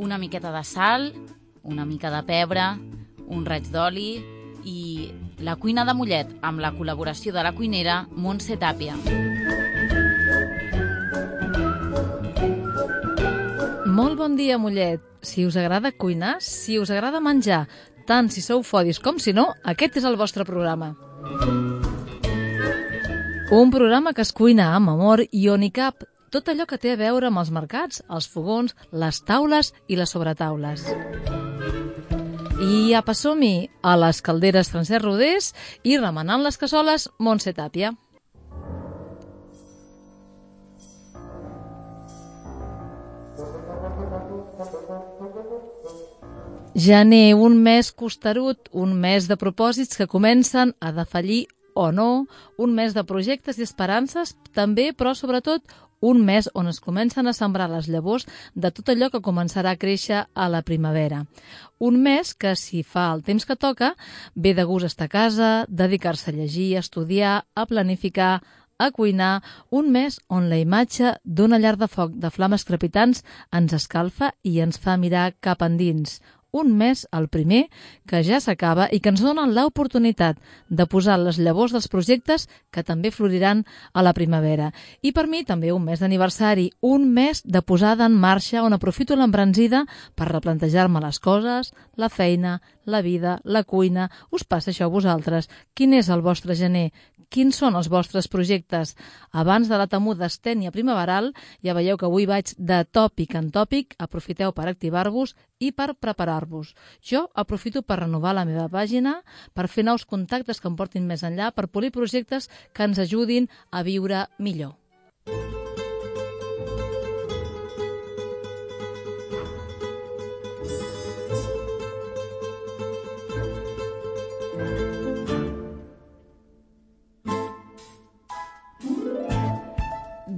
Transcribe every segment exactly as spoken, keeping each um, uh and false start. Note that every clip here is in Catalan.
una miqueta de sal, una mica de pebre, un raig d'oli i la cuina de Mollet amb la col·laboració de la cuinera Montse Tàpia. Molt bon dia, Mollet. Si us agrada cuinar, si us agrada menjar, tant si sou fodis com si no, aquest és el vostre programa. Un programa que es cuina amb amor i on hi cap tot allò que té a veure amb els mercats, els fogons, les taules i les sobretaules. I apa, som-hi a les calderes Francesc Rodés i remenant les cassoles Montse Tàpia. Gener, un mes costerut, un mes de propòsits que comencen a defallir o no, un mes de projectes i esperances també, però sobretot un mes on es comencen a sembrar les llavors de tot allò que començarà a créixer a la primavera. Un mes que, si fa el temps que toca, ve de gust estar a casa, dedicar-se a llegir, a estudiar, a planificar, a cuinar, un mes on la imatge d'una llar de foc de flames crepitants ens escalfa i ens fa mirar cap endins. Un mes, el primer, que ja s'acaba i que ens dona l'oportunitat de posar les llavors dels projectes que també floriran a la primavera. I per mi també un mes d'aniversari, un mes de posada en marxa on aprofito l'embranzida per replantejar-me les coses, la feina, la vida, la cuina. Us passa això a vosaltres? Quin és el vostre gener? Quins són els vostres projectes? Abans de la temuda estènia primaveral, ja veieu que avui vaig de tòpic en tòpic, aprofiteu per activar-vos i per preparar-vos. Jo aprofito per renovar la meva pàgina, per fer nous contactes que em portin més enllà, per polir projectes que ens ajudin a viure millor.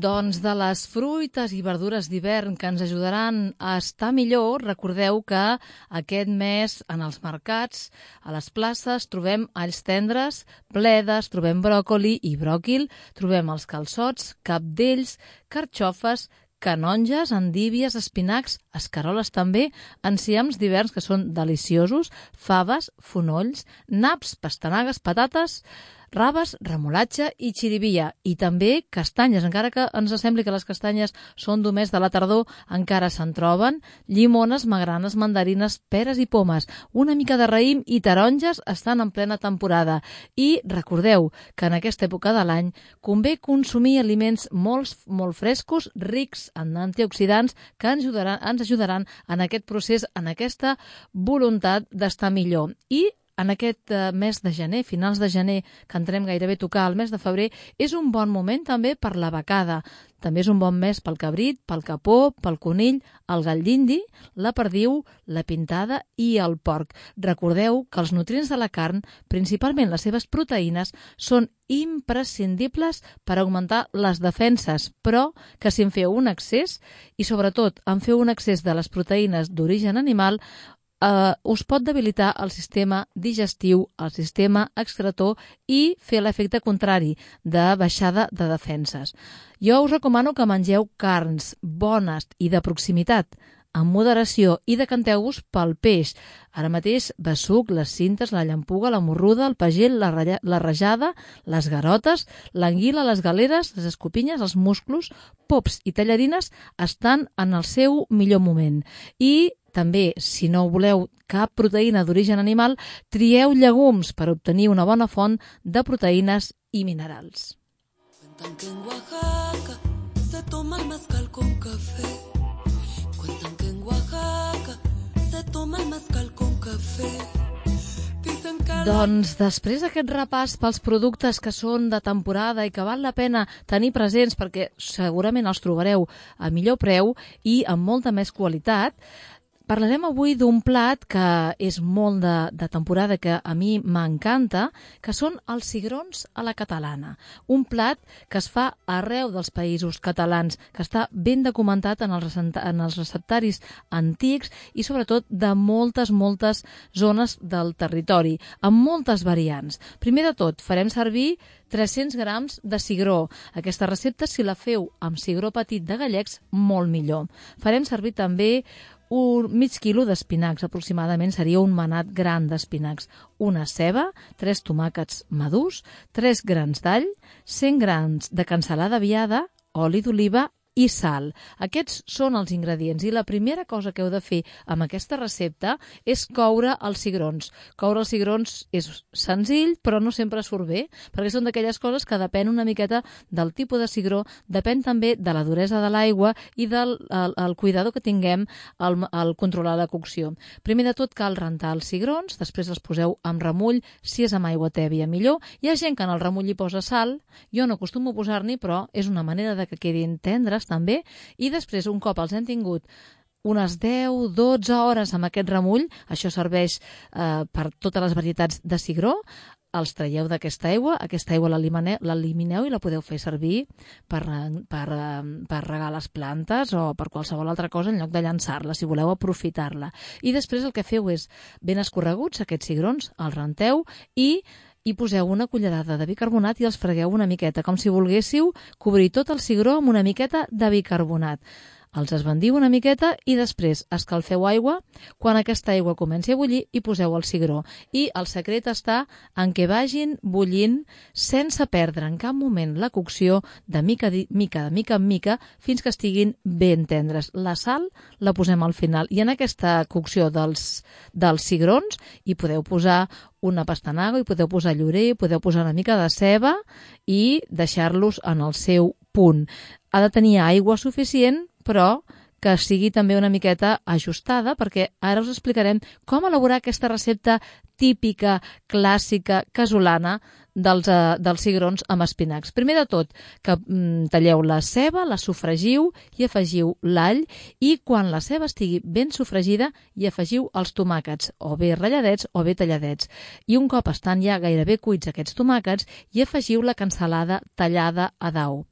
Doncs de les fruites i verdures d'hivern que ens ajudaran a estar millor, recordeu que aquest mes en els mercats, a les places, trobem alls tendres, bledes, trobem bròcoli i bròquil, trobem els calçots, cabdells, carxofes, canonges, endívies, espinacs, escaroles també, enciams d'hiverns que són deliciosos, faves, fonolls, naps, pastanagues, patates, raves, remolatge i xirivia. I també castanyes, encara que ens sembli que les castanyes són només de la tardor, encara se'n troben, llimones, magranes, mandarines, peres i pomes. Una mica de raïm i taronges estan en plena temporada. I recordeu que en aquesta època de l'any convé consumir aliments molt, molt frescos, rics en antioxidants, que ens ajudaran, ens ajudaran en aquest procés, en aquesta voluntat d'estar millor. I en aquest mes de gener, finals de gener, que entrem gairebé a tocar el mes de febrer, és un bon moment també per la becada. També és un bon mes pel cabrit, pel capó, pel conill, el gall d'indi, la perdiu, la pintada i el porc. Recordeu que els nutrients de la carn, principalment les seves proteïnes, són imprescindibles per augmentar les defenses, però que si en feu un excés, i sobretot en feu un excés de les proteïnes d'origen animal, Uh, us pot debilitar el sistema digestiu, el sistema excretor i fer l'efecte contrari de baixada de defenses. Jo us recomano que mengeu carns bones i de proximitat, amb moderació, i decanteu-vos pel peix. Ara mateix, besuc, les cintes, la llampuga, la morruda, el pagell, la, raya, la rajada, les garotes, l'anguila, les galeres, les escopinyes, els musclos, pops i tallarines estan en el seu millor moment. I també, si no voleu cap proteïna d'origen animal, trieu llegums per obtenir una bona font de proteïnes i minerals. Cuentan que en Oaxaca se toma el mezcal con café. Cuentan que en Oaxaca se toma el mezcal con café. Doncs després d'aquest repàs pels productes que són de temporada i que val la pena tenir presents perquè segurament els trobareu a millor preu i amb molta més qualitat, parlarem avui d'un plat que és molt de, de temporada, que a mi m'encanta, que són els cigrons a la catalana. Un plat que es fa arreu dels països catalans, que està ben documentat en els, en els receptaris antics i sobretot de moltes, moltes zones del territori, amb moltes variants. Primer de tot, farem servir tres-cents grams de cigró. Aquesta recepta, si la feu amb cigró petit de gallecs, molt millor. Farem servir també un mig quilo d'espinacs, aproximadament seria un manat gran d'espinacs, una ceba, tres tomàquets madurs, tres grans d'all, cent grams de cansalada viada, oli d'oliva i sal. Aquests són els ingredients i la primera cosa que heu de fer amb aquesta recepta és coure els cigrons. Coure els cigrons és senzill, però no sempre surt bé, perquè són d'aquelles coses que depèn una miqueta del tipus de cigró, depèn també de la duresa de l'aigua i del el, el cuidador que tinguem al, al controlar la cocció. Primer de tot cal rentar els cigrons, després els poseu amb remull, si és amb aigua tèbia millor. Hi ha gent que en el remull hi posa sal, jo no acostumo a posar-n'hi, però és una manera de que quedin tendres també, i després un cop els hem tingut unes deu dotze hores amb aquest remull, això serveix eh, per totes les varietats de cigró, els traieu d'aquesta aigua, aquesta aigua l'elimineu i la podeu fer servir per, per, per regar les plantes o per qualsevol altra cosa en lloc de llançar-la, si voleu aprofitar-la. I després el que feu és, ben escorreguts, aquests cigrons, els renteu i hi poseu una cullerada de bicarbonat i els fregueu una miqueta, com si volguéssiu cobrir tot el cigró amb una miqueta de bicarbonat. Els esbandiu una miqueta i després escalfeu aigua. Quan aquesta aigua comenci a bullir, hi poseu el cigró. I el secret està en què vagin bullint sense perdre en cap moment la cocció de mica, de mica, de mica en mica, fins que estiguin ben tendres. La sal la posem al final. I en aquesta cocció dels, dels cigrons hi podeu posar una pastanaga, hi podeu posar llorer, podeu posar una mica de ceba i deixar-los en el seu punt. Ha de tenir aigua suficient, però que sigui també una miqueta ajustada, perquè ara us explicarem com elaborar aquesta recepta típica, clàssica, casolana dels, eh, dels cigrons amb espinacs. Primer de tot, que mm, talleu la ceba, la sofregiu i afegiu l'all, i quan la ceba estigui ben sofregida hi afegiu els tomàquets, o bé ratlladets o bé talladets. I un cop estan ja gairebé cuits aquests tomàquets, hi afegiu la cansalada tallada a dau.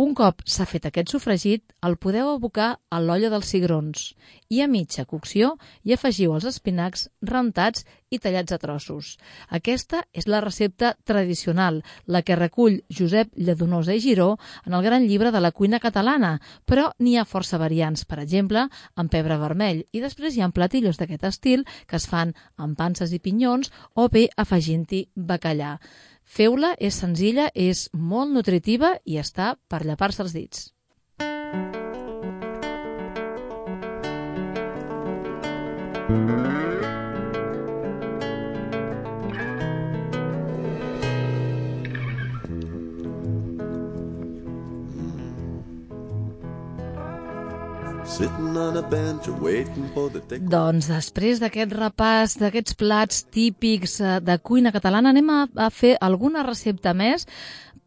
Un cop s'ha fet aquest sofregit, el podeu abocar a l'olla dels cigrons i a mitja cocció hi afegiu els espinacs rentats i tallats a trossos. Aquesta és la recepta tradicional, la que recull Josep Lladonosa i Giró en el gran llibre de la cuina catalana, però n'hi ha força variants, per exemple, amb pebre vermell, i després hi ha platillos d'aquest estil que es fan amb panses i pinyons o bé afegint-hi bacallà. Feu-la, és senzilla, és molt nutritiva i està per llepar-se els dits. Doncs després d'aquest repàs d'aquests plats típics de cuina catalana anem a, a fer alguna recepta més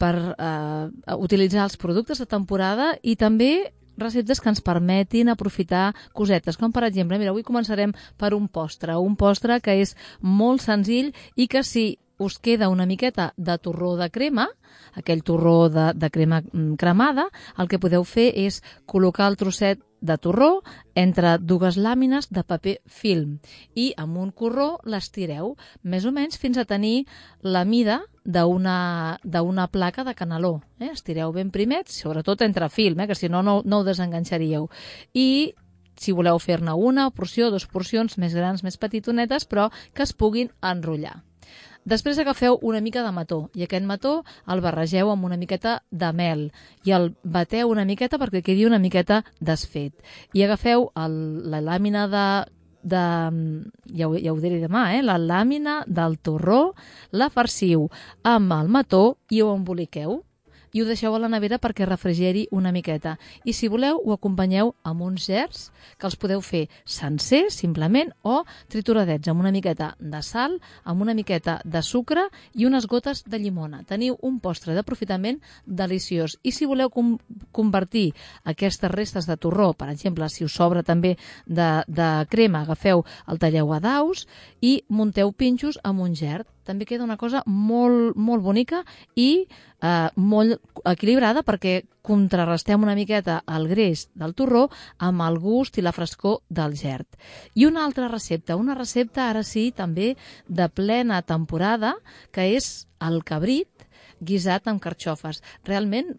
per eh, utilitzar els productes de temporada i també receptes que ens permetin aprofitar cosetes, com per exemple, mira, avui començarem per un postre, un postre que és molt senzill i que si us queda una miqueta de torró de crema, aquell torró de, de crema cremada, el que podeu fer és col·locar el trosset de torró entre dues làmines de paper film i amb un corró l'estireu més o menys fins a tenir la mida d'una d'una placa de caneló. Eh? Estireu ben primet, sobretot entre film, eh? Que si no, no, no ho desenganxaríeu. I si voleu fer-ne una porció, dues porcions més grans, més petitonetes, però que es puguin enrotllar. Després agafeu una mica de mató i aquest mató el barregeu amb una miqueta de mel i el bateu una miqueta perquè quedi una miqueta desfet. I agafeu el, la làmina de, de ja, ho, ja ho diré demà, eh? la làmina del torró, la farciu amb el mató i ho emboliqueu. I ho deixeu a la nevera perquè refrigeri una miqueta. I si voleu, ho acompanyeu amb uns gerds que els podeu fer sencers, simplement, o trituradets amb una miqueta de sal, amb una miqueta de sucre i unes gotes de llimona. Teniu un postre d'aprofitament deliciós. I si voleu com convertir aquestes restes de torró, per exemple, si us sobra també de, de crema, agafeu el talleu a daus i munteu pinxos amb un gerd. També queda una cosa molt, molt bonica i eh, molt equilibrada perquè contrarrestem una miqueta el greix del torró amb el gust i la frescor del gerd. I una altra recepta, una recepta ara sí també de plena temporada, que és el cabrit guisat amb carxofes. Realment,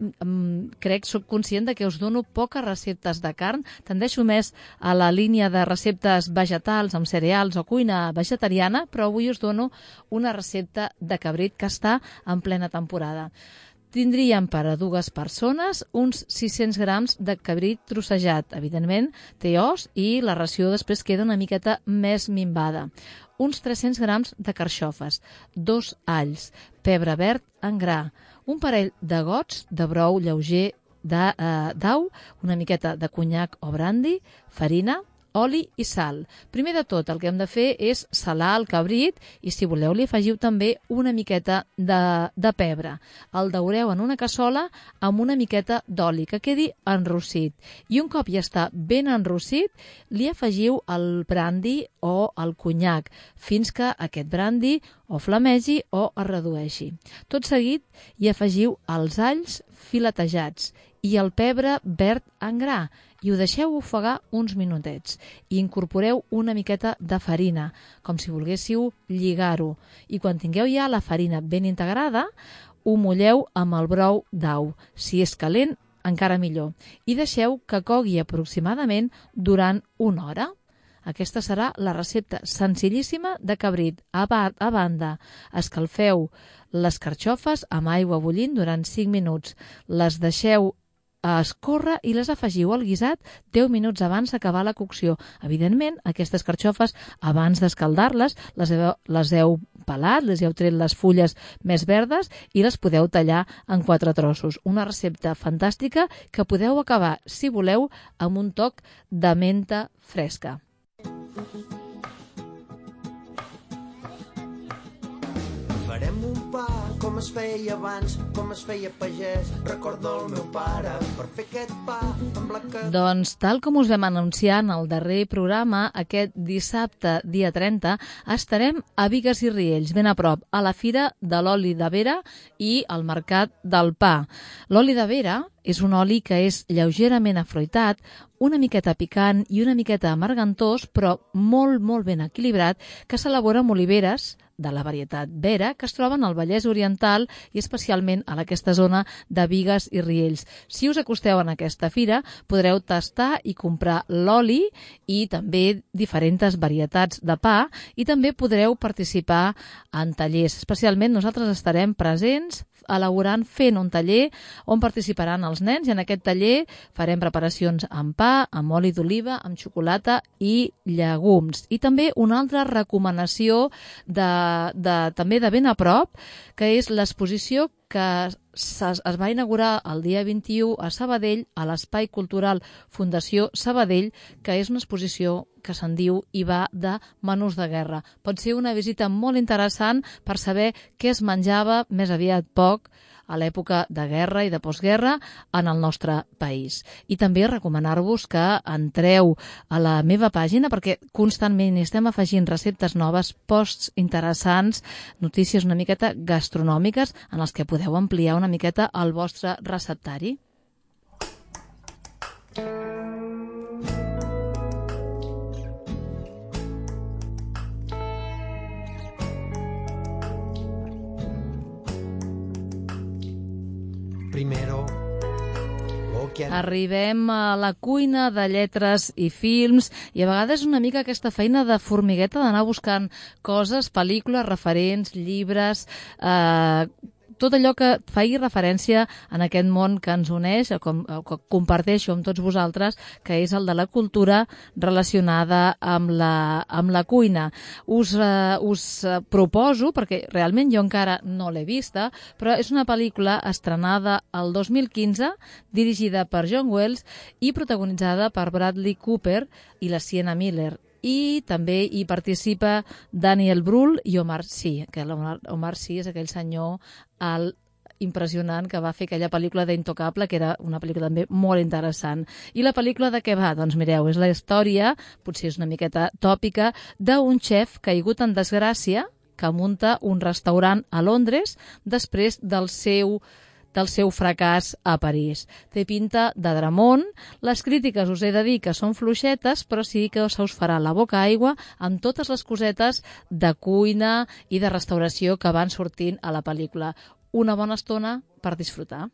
crec, soc conscient de que us dono poques receptes de carn, tendeixo més a la línia de receptes vegetals amb cereals o cuina vegetariana, però avui us dono una recepta de cabrit que està en plena temporada. Tindríem per a dues persones uns sis-cents grams de cabrit trossejat. Evidentment, té os i la ració després queda una miqueta més minvada. Uns tres-cents grams de carxofes, dos alls, pebre verd en gra, un parell de gots de brou lleuger d'au, una miqueta de conyac o brandi, farina, oli i sal. Primer de tot, el que hem de fer és salar el cabrit i, si voleu, li afegiu també una miqueta de, de pebre. El daureu en una cassola amb una miqueta d'oli, que quedi enrossit. I un cop ja està ben enrossit, li afegiu el brandi o el conyac, fins que aquest brandi o flamegi o es redueixi. Tot seguit hi afegiu els alls filetejats i el pebre verd en gra, i ho deixeu ofegar uns minutets. I incorporeu una miqueta de farina, com si volguéssiu lligar-ho. I quan tingueu ja la farina ben integrada, ho mulleu amb el brou d'au. Si és calent, encara millor. I deixeu que cogui aproximadament durant una hora. Aquesta serà la recepta senzillíssima de cabrit. A, ba a banda, escalfeu les carxofes amb aigua bullint durant cinc minuts. Les deixeu a escórrer i les afegiu al guisat deu minuts abans d'acabar la cocció. Evidentment, aquestes carxofes, abans d'escaldar-les, les, heu, les heu pelat, les heu tret les fulles més verdes i les podeu tallar en quatre trossos. Una recepta fantàstica que podeu acabar, si voleu, amb un toc de menta fresca. Farem un pa com es feia abans, com es feia pagès. Recordo el meu pare per fer aquest pa amb la que... Doncs, tal com us vam anunciar en el darrer programa, aquest dissabte, dia trenta, estarem a Bigues i Riells, ben a prop, a la Fira de l'Oli de Vera i al Mercat del Pa. L'oli de Vera és un oli que és lleugerament afruitat, una miqueta picant i una miqueta amargantós, però molt, molt ben equilibrat, que s'elabora amb oliveres de la varietat Vera, que es troben al Vallès Oriental i especialment a aquesta zona de Bigues i Riells. Si us acosteu en aquesta fira, podreu tastar i comprar l'oli i també diferents varietats de pa, i també podreu participar en tallers. Especialment nosaltres estarem presents elaborant, fent un taller on participaran els nens, i en aquest taller farem preparacions amb pa, amb oli d'oliva, amb xocolata i llegums. I també una altra recomanació de, de, també de ben a prop, que és l'exposició que es va inaugurar el dia vint-i-u a Sabadell, a l'Espai Cultural Fundació Sabadell, que és una exposició que se'n diu i va de menús de guerra. Pot ser una visita molt interessant per saber què es menjava, més aviat poc, a l'època de guerra i de postguerra en el nostre país. I també recomanar-vos que entreu a la meva pàgina, perquè constantment estem afegint receptes noves, posts interessants, notícies una miqueta gastronòmiques en les que podeu ampliar una miqueta el vostre receptari. Primero, arribem a la cuina de lletres i films, i a vegades una mica aquesta feina de formigueta d'anar buscant coses, pel·lícules, referents, llibres, eh, tot allò que faci referència en aquest món que ens uneix, com, que comparteixo amb tots vosaltres, que és el de la cultura relacionada amb la, amb la cuina. Us, eh, us proposo, perquè realment jo encara no l'he vista, però és una pel·lícula estrenada el dos mil quinze, dirigida per John Wells i protagonitzada per Bradley Cooper i la Sienna Miller. I també hi participa Daniel Brühl i Omar Sy, que l'Omar Omar Sy és aquell senyor alt, impressionant, que va fer aquella pel·lícula d'Intocable, que era una pel·lícula també molt interessant. I la pel·lícula de què va? Doncs mireu, és la història, potser és una miqueta tòpica, d'un xef caigut en desgràcia que munta un restaurant a Londres després del seu del seu fracàs a París. Té pinta de dramón. Les crítiques, us he de dir que són fluixetes, però sí que se us farà la boca aigua amb totes les cosetes de cuina i de restauració que van sortint a la pel·lícula. una bona estona per disfrutar.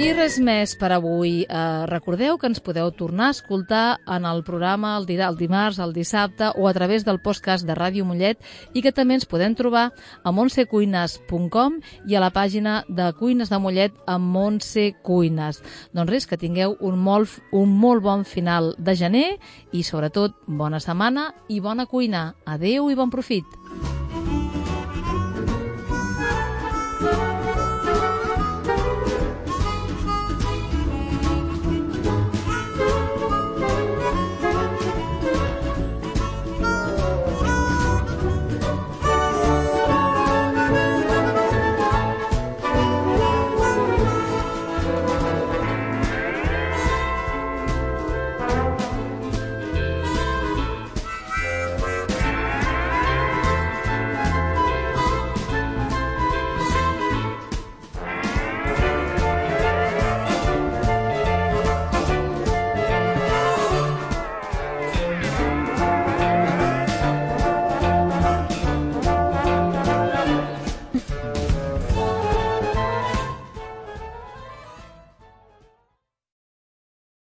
I res més per avui. Eh, recordeu que ens podeu tornar a escoltar en el programa el, di el dimarts, el dissabte o a través del podcast de Ràdio Mollet i que també ens podem trobar a montse cuines punt com i a la pàgina de Cuines de Mollet amb Montse Cuines. Doncs res, que tingueu un molt, un molt bon final de gener i sobretot bona setmana i bona cuina. Adéu i bon profit.